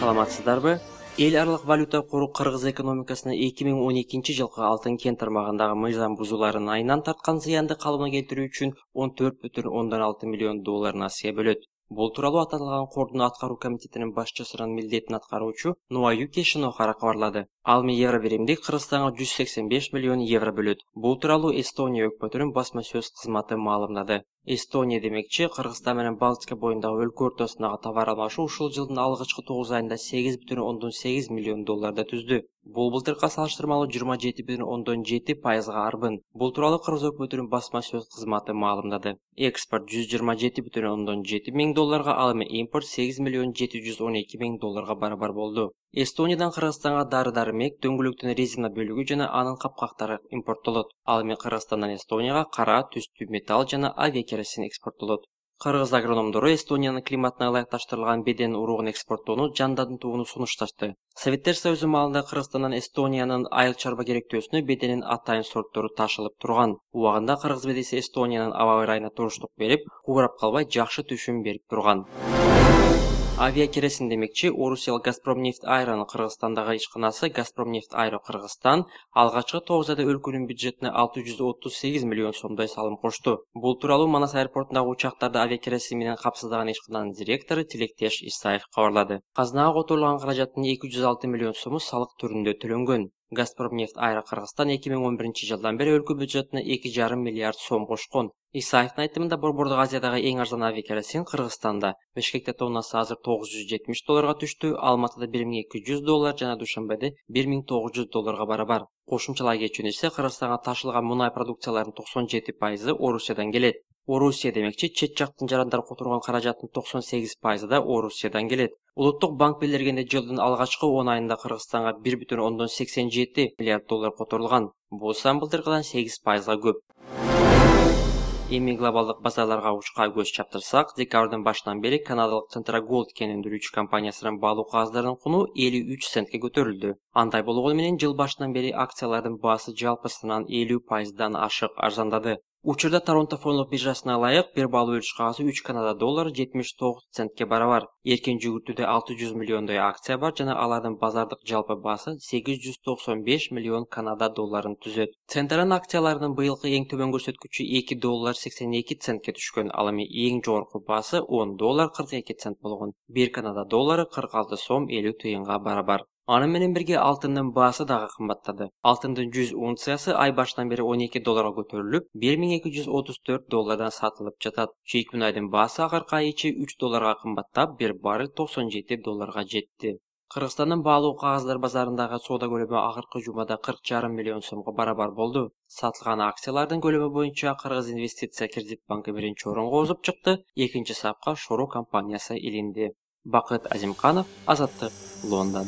саламатсыздарбы? Эл аралык валюта кору Кыргыз экономикасына 2012-жылкы алтын кен тармагындагы мыйзам бузууларын айынан тарткан зыянды калыбына келтирүү үчүн 14,6 миллион долларын Асия бөлөт. Бул тууралуу аталган кордун аткаруу комитетинин башчысынын милдетин аткаруучу Нуаюки Шинохара кабарлады. Ал евро биримдик Кыргызстанга 185 миллион евро бөлөт. Бул тууралуу Эстония өкмөтүнүн басма сөз кызматы маалымдады. Эстония демекчи, Кыргызстан менен Балтика боюндагы өлкө ортосундагы товар алмашуу ушул жылдын алгачкы 9 айында 8,8 миллион долларды түздү. Бул былтыркыга салыштырмалуу 27,7% арбын. Бул тууралуу Кыргыз өкмөтүнүн басма сөз кызматы маалымдады. Экспорт 127,7 миң долларга, ал эми импорт 8,712 миң долларга барабар болду. Эстониядан Кыргызстанга дары-дармек, дөңгөлөктөн резина бөлүгү жана анын капкактары импорттолот. Ал эми Кыргызстандан Эстонияга кара, түстүү металл жана авиакеросин экспорттолот. Кыргыз агрономдору Эстониянын климатына ылайыкташтырылган беден уругун экспорттоону жандандырууну сунушташты. Советтер Союзу маалында Кыргызстандан Эстониянын айыл чарба керектөөсүнө беденин атайын сорттору ташылып турган. Убагында Кыргыз бедеси Эстониянын аба ырайына туруштук берип, куурап калбай жакшы түшүм берип турган. Авиакеросин демекчи, Орусиялык Газпромнефть Айронун Кыргызстандагы ишканасы Газпромнефть Айро Кыргызстан алгачкы 9 айда өлкөнүн бюджетине 638 миллион сомдой салым кошту. Бул тууралуу Манас аэропортундагы учактарды авиакеросин менен капсыздаган ишкананын директору Тилектеш Исаев кабарлады. Казынага которулган каражаттын 206 миллион сому салык түрүндө төлөнгөн. Газпромнефть Айро Кыргызстан 2011-жылдан бери өлкө бюджетине 2,5 миллиард сом кошкон. Исаевдин айтымында Борбордук Азиядагы эң арзан авиакеросин Кыргызстанда. Бишкекте тоннасы азыр 970 долларга түштү, Алматыда 1200 доллар жана Душанбеде 1900 долларга барабар. Кошумчалай кетүүнү ise Кыргызстанга ташылган мунай продукцияларынын 97% Орусиядан келет. Орусия демекчи, чет жактын жарандар которгон каражаттын 98% да Орусиядан келет. Улуттук банк билдиргенде жылдын алгачкы 10 айында Кыргызстанга 1,87 миллиард доллар которулган. Бул сан былтыркыдан 8%га көп. Эми глобалдык базарларга учка көз чаптырсак, декабрдын башынан бери канадалык Центрагоld кен өндүрүүчү компаниясынын баалуу кагаздарын куну 53 центке көтөрүлдү. Андай болгону менен жыл башынан бери акциялардын баасы жалпысынан 50%дан ашык арзандады. Учурда Торонто фондулук биржасына ылайык бир баалуу өлчү кагазы 3 Канада доллары 79 центке барабар. Эркен жүгүртүүдө 600 миллиондой акция бар жана алардын базардык жалпы баасы 895 миллион Канада долларын түзөт. Центран акцияларынын быйылкы эң төмөн көрсөткүчү 2 доллар 82 центке түшкөн, ал эми эң жогорку баасы 10 доллар 42 цент болгон. 1 Канада доллары 46 сом 50 тыйынга барабар. Аны менен бирге алтындын баасы дагы кымбаттады. Алтындын 100 унциясы ай башынан бери 12 долларга көтөрүлүп, 1234 доллардан сатылып жатат. Чийик мунайдын баасы акыркы ай ичи 3 долларга кымбаттап, 1 баррель 97 долларга жетти. Кыргызстандын баалуу кагаздар базарындагы соода көлөмү акыркы жумада 40,5 миллион сомго барабар болду. Сатылган акциялардын көлөмү боюнча Кыргыз инвестиция кредит банкы биринчи орунга озуп чыкты, экинчи сапка Шору компаниясы илинди. Бакыт Азимканов, Азаттык, Лондон.